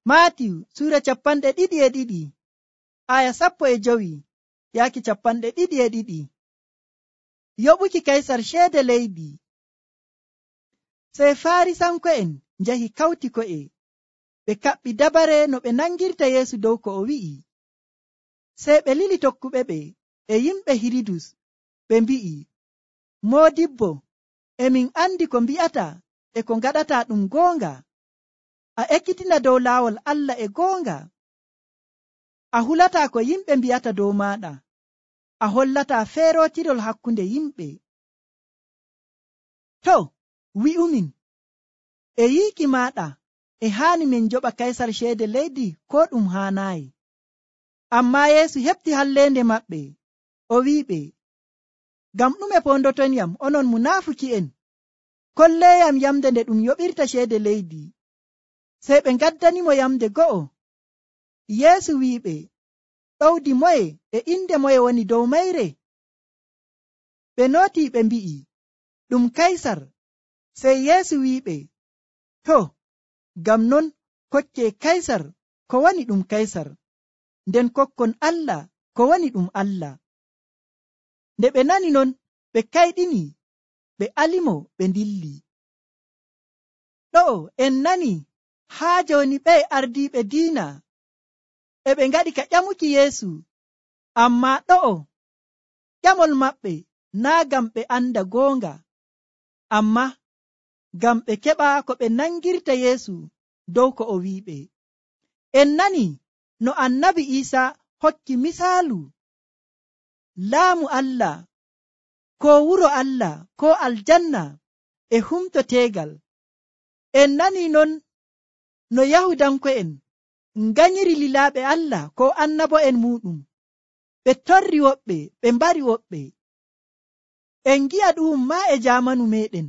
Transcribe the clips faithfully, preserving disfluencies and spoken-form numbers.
Maatiyu sura capanɗe ɗiɗi e ɗiɗi aya sappo e jowi yaaki capanɗe ɗiɗi e ɗiɗi. Yoɓuki kaisar ceede leydi. Sey Farisanko'en njahi kawti ko'e ɓe kaɓɓi dabare no ɓe nangirta Yeesu dow ko o wi'i. Sey ɓe lili tokkuɓe ɓe e yimɓe Hiridus ɓe mbi'i, Moodibbo, emin andi ko mbi'ata e ko ngaɗata ɗum goonga. A ekkitina dow laawol Allah e goonga. A hulataa ko yimɓe mbi'ata dow maaɗa. A hollataa feerootirol hakkunde yimɓe. To, wi'umin, e yiiki maaɗa e haani min njoɓa kaisar ceede leydi ko ɗum haanaayi. Ammaa Yeesu heɓti halleende maɓɓe, o wi'iɓe, ngam ɗume pondotonyam onon munaafuki'en? Kolleeyam yamde nde ɗum yoɓirta ceede leydi. Sey ɓe ngaddanimo yamde go'o. Yeesu wi'iɓe, ɗowdi moye e inde moye woni dow mayre? Ɓe nootii ɓe mbi'i, ɗum kaisar. Sey Yeesu wi'iɓe, to, ngam non kokkee kaisar ko woni ɗum kaisar, nden kokkon Allah ko woni ɗum Allah. Nde ɓe nani non, ɓe kayɗini, ɓe alimo, ɓe ndilli. Ɗo'o en nani haa jooni ɓe ardiiɓe diina e ɓe ngaɗi ka ƴamuki Yeesu, ammaa ɗo'o ƴamol maɓɓe naa ngam ɓe anda goonga, ammaa ngam ɓe keɓa ko ɓe nangirta Yeesu dow ko o wi'iɓe. En nani no annabi Iisa hokki misaalu laamu Allah, ko wuro Allah, ko aljanna e humto teegal. En nani non no Yahudanko'en nganyiri lilaaɓe Allah ko annabo'en muɗum. Ɓe torri woɓɓe, ɓe mbari woɓɓe. En gi'a ɗum maa e jaamanu meɗen,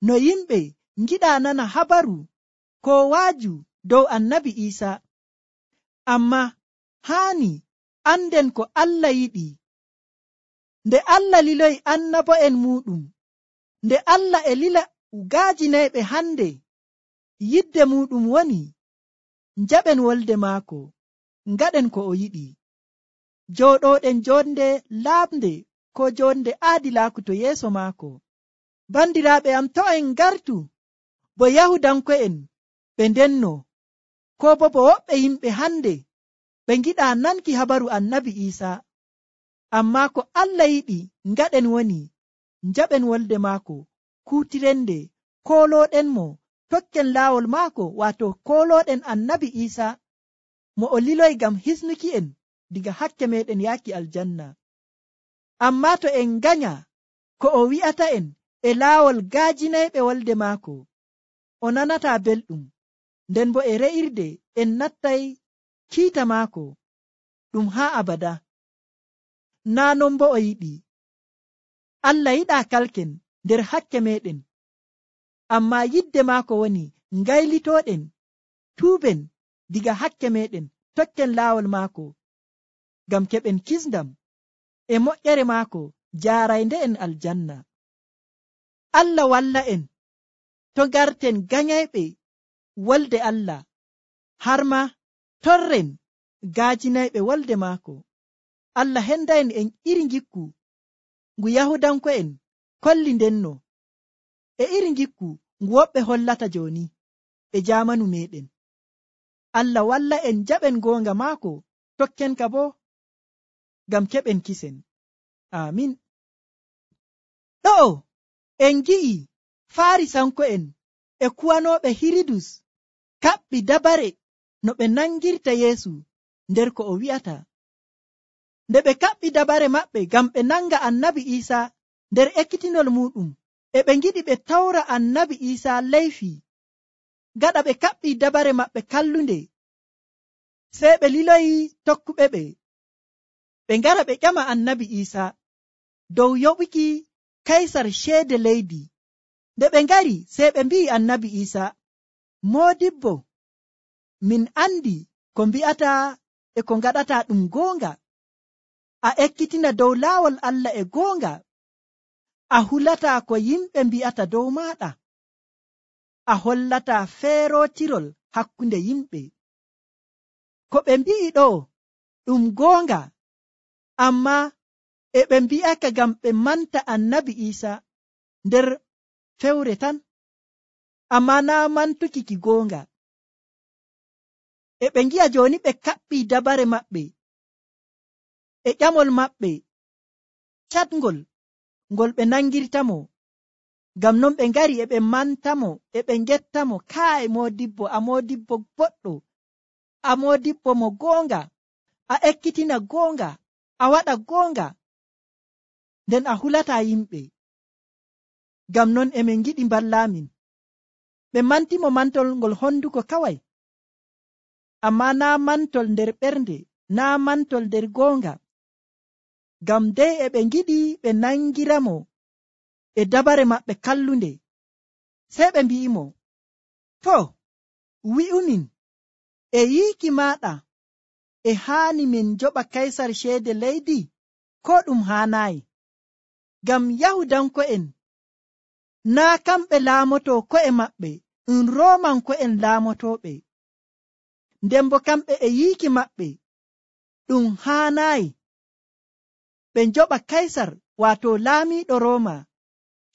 no yimɓe ngiɗa nana habaru ko waaju dow annabi Iisa. Ammaa haani anden ko Allah yiɗi. Nde Allah liloyi annabo'en muɗum, nde Allah e lila gaajinayɓe hande, yidde muɗum woni njaɓen wolde maako, ngaɗen ko o yiɗi. Jooɗoɗen jonde laaɓnde ko jonde aadilaaku to yeeso maako. Bandiraaɓe am, to en ngartu bo Yahudanko'en ɓe ndenno, ko bo bo woɓɓe yimɓe hande ɓe ngiɗa nanki habaru annabi Iisa. Ammaa ko Allah yiɗi ngaɗen woni njaɓen wolde maako, kuutirende, koolooɗenmo, tokken laawol maako, waato koolooɗen annabi Iisa mo o liloyi ngam hisnuki'en diga hakke meɗen yaaki aljanna. Ammaa to en nganya ko o wi'ata'en e laawol gaajinayɓe wolde maako, o nanataa belɗum, nden bo e re'irde en nattay kiita maako ɗum haa abada. Naa non bo o yiɗi. Allah yiɗaa kalken nder hakke meɗen, ammaa yidde maako woni ngaylitooɗen, tuuben diga hakke meɗen, tokken laawol maako, ngam keɓen kisndam e moƴƴere maako jaaraynde en aljanna. Allah walla en to garten ganyayɓe wolde Allah, har ma torren gaajinayɓe wolde maako. Allah hendayen en iri ngikku ngu Yahudanko'en kolli ndenno, e iri ngikku ngu woɓɓe hollata jooni e jaamanu meɗen. Allah walla en jaɓen goonga maako, tokken ka bo ngam keɓen kisen. Amin. Ɗo'o en gi'i Farisanko'en e kuwanooɓe Hiridus kaɓɓi dabare no ɓe nangirta Yeesu nder ko o wi'ata. Nde ɓe kaɓɓi dabare maɓɓe ngam ɓe nanga annabi Iisa nder ekkitinol muɗum, e ɓe ngiɗi ɓe tawra annabi Iisa leyfi. Gaɗa ɓe kaɓɓi dabare maɓɓe kallunde, sey ɓe liloyi tokkuɓe ɓe ɓe ngara ɓe ƴama annabi Iisa dow yoɓuki kaisar ceede leydi. Nde ɓe ngari, sey ɓe mbi'i annabi Iisa, Moodibbo, min andi ko mbi'ata e ko ngaɗata ɗum goonga. A ekkitina dow laawol Allah e goonga. A hulataa ko yimɓe mbi'ata dow maaɗa. A hollataa feerootirol hakkunde yimɓe. ko ɓe mbi'i ɗo ɗum goonga, amma e ɓe mbi'aka ngam ɓe manta annabi Iisa nder fewre tan, amma naa mantuki ki goonga. E ɓe ngi'a jooni ɓe kaɓɓii dabare maɓɓe e ƴamol maɓɓe catngol ngol ɓe nangirtamo, ngam non ɓe ngari e ɓe mantamo e ɓe ngettamo, kaa e moodibbo, a moodibbo boɗɗo, a moodibbo mo goonga, a ekkitina goonga, a waɗa goonga, nden a hulataa yimɓe. Ngam non e min ngiɗi mballaamin. Ɓe mantimo mantol ngol honduko kawai, amma naa mantol nder ɓernde, naa mantol nder goonga. Ngam dey e ɓe ngiɗi ɓe nangiramo e dabare maɓɓe kallunde, sey ɓe mbi'imo, to, wi'umin, e yiiki maaɗa e haani min joɓa kaysar ceede leydi, ko ɗum haanaayi? Ngam Yahudanko'en naa kamɓe laamoto ko'e maɓɓe, ɗum Roomanko'en laamotooɓe. Nden bo kamɓe e yiiki maɓɓe ɗum haanaayi ɓe njoɓa kaysar, waato laamiiɗo Rooma,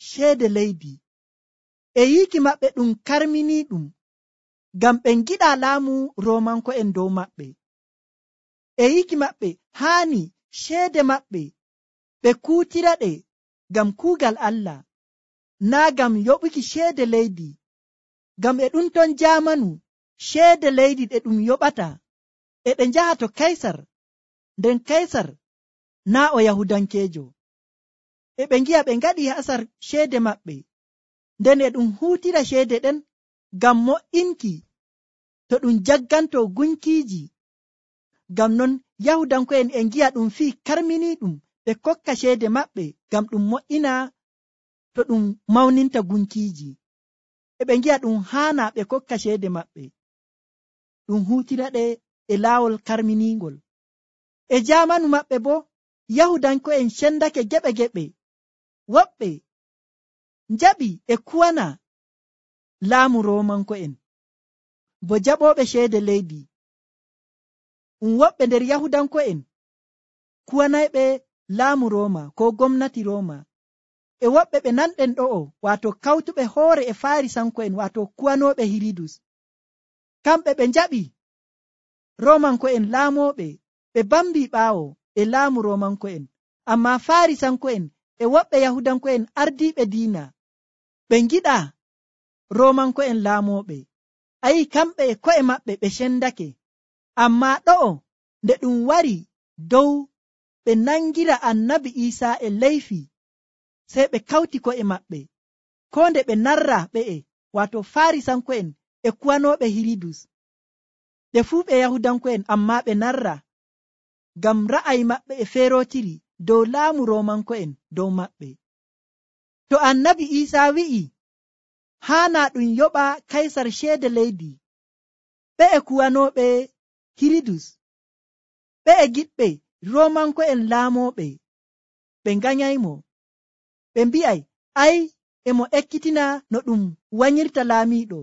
ceede leydi. E yiiki maɓɓe ɗum karminii ɗum, ngam ɓe ngiɗaa laamu Roomanko'en dow maɓɓe. E yiiki maɓɓe haani ceede maɓɓe ɓe kuutira ɗe ngam kuugal Allah, naa ngam yoɓuki ceede leydi. Ngam e ɗum ton jaamanu ceede leydi ɗe ɗum yoɓata e ɗe njaha to kaysar, nden kaysar naa o Yahudankeejo. E ɓe ngi'a ɓe ngaɗi hasar ceede maɓɓe, nden e ɗum huutira ceede ɗen ngam mo'inki to ɗum jagganto gunkiiji. Ngam non Yahudanko'en e ngi'a ɗum fii karminii ɗum ɓe kokka ceede maɓɓe ngam ɗum mo'ina to ɗum mawninta gunkiiji. E ɓe ngi'a ɗum haana ɓe kokka ceede maɓɓe, ɗum huutira ɗe e laawol karminiingol. E jaamanu maɓɓe bo Yahudanko'en cendake geɓe geɓe, woɓɓe njaɓi e kuwana laamu Roomanko'en bo jaɓooɓe ceede leydi. Ɗum woɓɓe nder Yahudanko'en kuwanayɓe laamu Rooma ko gomnati Rooma, e woɓɓe ɓe nanɗen ɗo'o, waato kawtuɓe hoore e Faarisanko'en, waato kuwanooɓe Hiridus. Kamɓe ɓe njaɓi Roomanko'en laamooɓe, ɓe bambii ɓaawo e laamu Roomanko'en, amma Faarisanko'en e woɓɓe Yahudanko'en ardiiɓe diina ɓe ngiɗaa Roomanko'en laamooɓe. Ayi, kamɓe e ko'e maɓɓe ɓe cendake, amma ɗo'o nde ɗum wari dow ɓe nangira annabi Iisaa e leyfi, sey ɓe kawti ko'e maɓɓe, ko nde ɓe narra ɓe'e, waato Faarisanko'en e kuwanooɓe Hiridus. Ɓe fuu ɓe Yahudanko'en, amma ɓe narra, ngam ra'ayi maɓɓe e feerootiri dow laamu Roomanko'en dow maɓɓe. To annabi Iisaa wi'i haana ɗum yoɓa kaysar ceede leydi, ɓe'e kuwanooɓe Hiridus, ɓe'e giɗɓe Roomanko'en laamooɓe, ɓe nganyaymo, ɓe mbi'ay, ay, emo ekkitina no ɗum wanyirta laamiiɗo,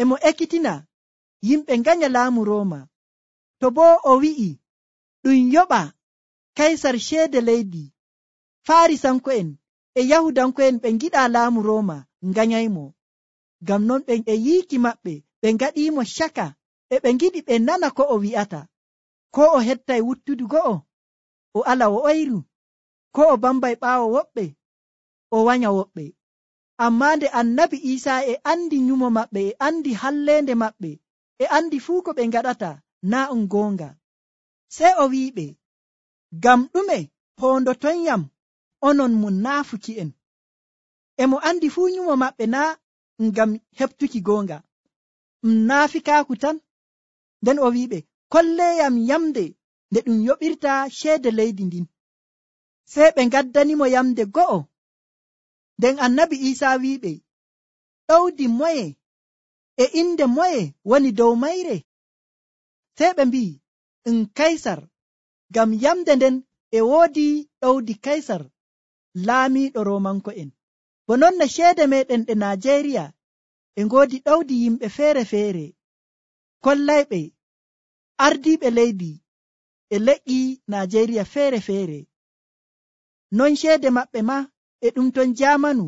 emo ekkitina yimɓe nganya laamu Rooma. To boo o wi'i ɗum yoɓa kaysar ceede leydi, Faarisanko'en e Yahudanko'en ɓe ngiɗaa laamu Rooma nganyaymo. Ngam non ɓen e yiiki maɓɓe ɓe ngaɗiimo caka, e ɓe ngiɗi ɓe nana ko o wi'ata, ko o hettay wuttudu go'o o ala o oyru, ko o bambay ɓaawo woɓɓe o wanya woɓɓe. Ammaa nde annabi Iisaa e andi nyumo maɓɓe, e andi halleende maɓɓe, e andi fuu ko ɓe ngaɗata naa ɗum goonga, sey o wi'iɓe, ngam ɗume poondotonyam onon munaafuki'en? Emo andi fuu nyumo maɓɓe naa ngam heɓtuki goonga, ɗum naafikaaku tan. Nden o wi'iɓe, kolleeyam yamde nde ɗum yoɓirta ceede leydi ndin. Sey ɓe ngaddanimo yamde go'o. Nden annabi Iisaa wi'iɓe, ɗowdi moye e inde moye woni dow mayre? Sey ɓe mbi'i, ɗum Kaysar, ngam yamde nden e woodi ɗowdi Kaysar laamiiɗo Roomanko'en. Bo non no ceede meɗen ɗe Najeeriya e ngoodi ɗowdi yimɓe feere-feere kollayɓe ardiiɓe leydi e leƴƴi Najeriya feere-feere. Non ceede maɓɓe ma e ɗum ton jamanu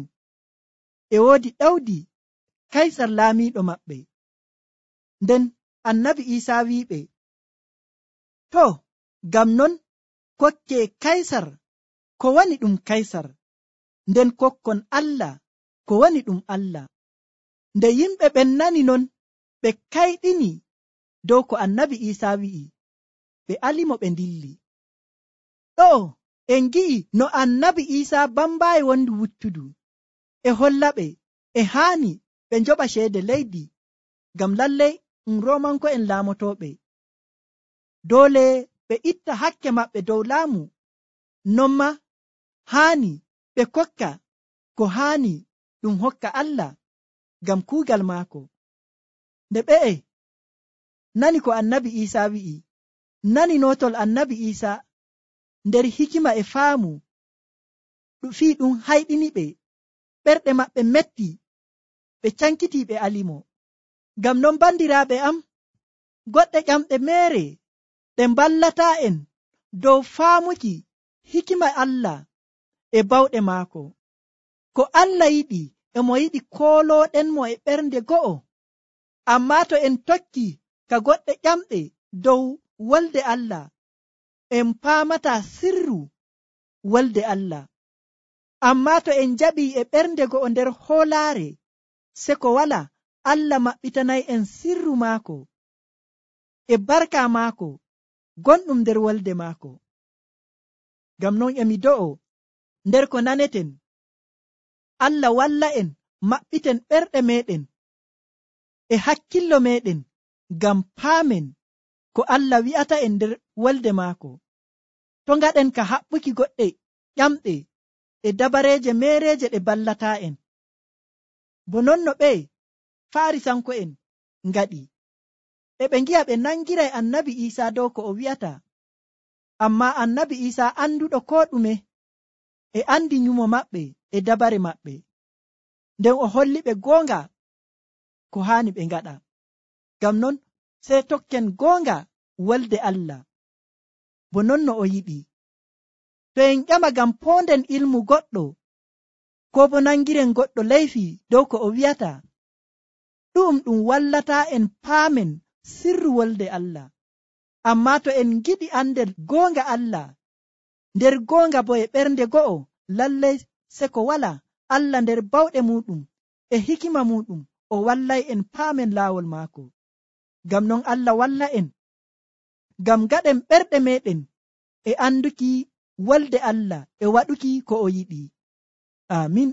e woodi ɗawdi Kaysar laamiiɗo maɓɓe. Nden annabi Iisaa wi'iɓe, to, ngam non kokke Kaysar ko woni ɗum Kaysar, nden kokkon Allah ko woni ɗum Allah. Nde yimɓe ɓen nani non, ɓe kayɗini dow ko annabi Iisaa wi'i, ɓe alimo ɓe ndilli. Ɗo en gi'i no annabi Iisaa bambaayi wondi wuttudu e hollaɓe e haani ɓe njoɓa ceede leydi, ngam lallay ɗum Roomanko'en laamotooɓe. Doole ɓe itta hakke maɓɓe dow laamu, non ma haani ɓe kokka ko haani ɗum hokka Allah ngam kuugal maako. Nde ɓe'e nani ko annabi Iisaa wi'i, nani nootol annabi Iisaa nder hikima e faamu, fii ɗum hayɗiniɓe, ɓerɗe maɓɓe metti, ɓe cankitii ɓe alimo. Ngam non bandiraaɓe am, goɗɗe ƴamɗe meere ɗe mballataa en dow faamuki hikima Allah e bawɗe maako. Ko Allah yiɗi e mo yiɗi koolooɗenmo e ɓernde go'o. Ammaa to en tokki ka goɗɗe ƴamɗe dow wolde Allah, en paamataa sirru wolde Allah. Ammaa to en jaɓii e ɓernde go'o nder hoolaare, se ko wala Allah maɓɓitanay en sirru maako e barka maako gonɗum nder wolde maako. Ngam non emi do'o nder ko naneten, Allah walla en maɓɓiten ɓerɗe meɗen e hakkillo meɗen ngam paamen ko Allah wi'ata en nder wolde maako. To ngaɗen ka haɓɓuki goɗɗe ƴamɗe e dabareeje meereeje ɗe ballataa en, bo non no ɓe Faarisanko'en ngaɗi. E ɓe ngi'a ɓe nangiray annabi Iisaa dow ko o wi'ata, ammaa annabi Iisaa anduɗo koo ɗume e andi nyumo maɓɓe e dabare maɓɓe, nden o holli ɓe goonga ko haani ɓe ngaɗa. Ngam non sey tokken goonga wolde Allah, bo non no o yiɗi. To en ƴama ngam poonden ilmu goɗɗo, koo bo nangiren goɗɗo leyfi dow ko o wi'ata, ɗum ɗum wallataa en paamen sirru wolde Allah. Ammaa to en giɗi andel goonga Allah nder goonga bo e ɓernde go'o, lallay se ko wala Allah nder bawɗe muɗum e hikima muɗum o wallay en paamen laawol maako. Ngam non Allah walla en ngam gaɗen ɓerɗe meɗen e anduki wolde Allah e waɗuki ko o yiɗi. Amin.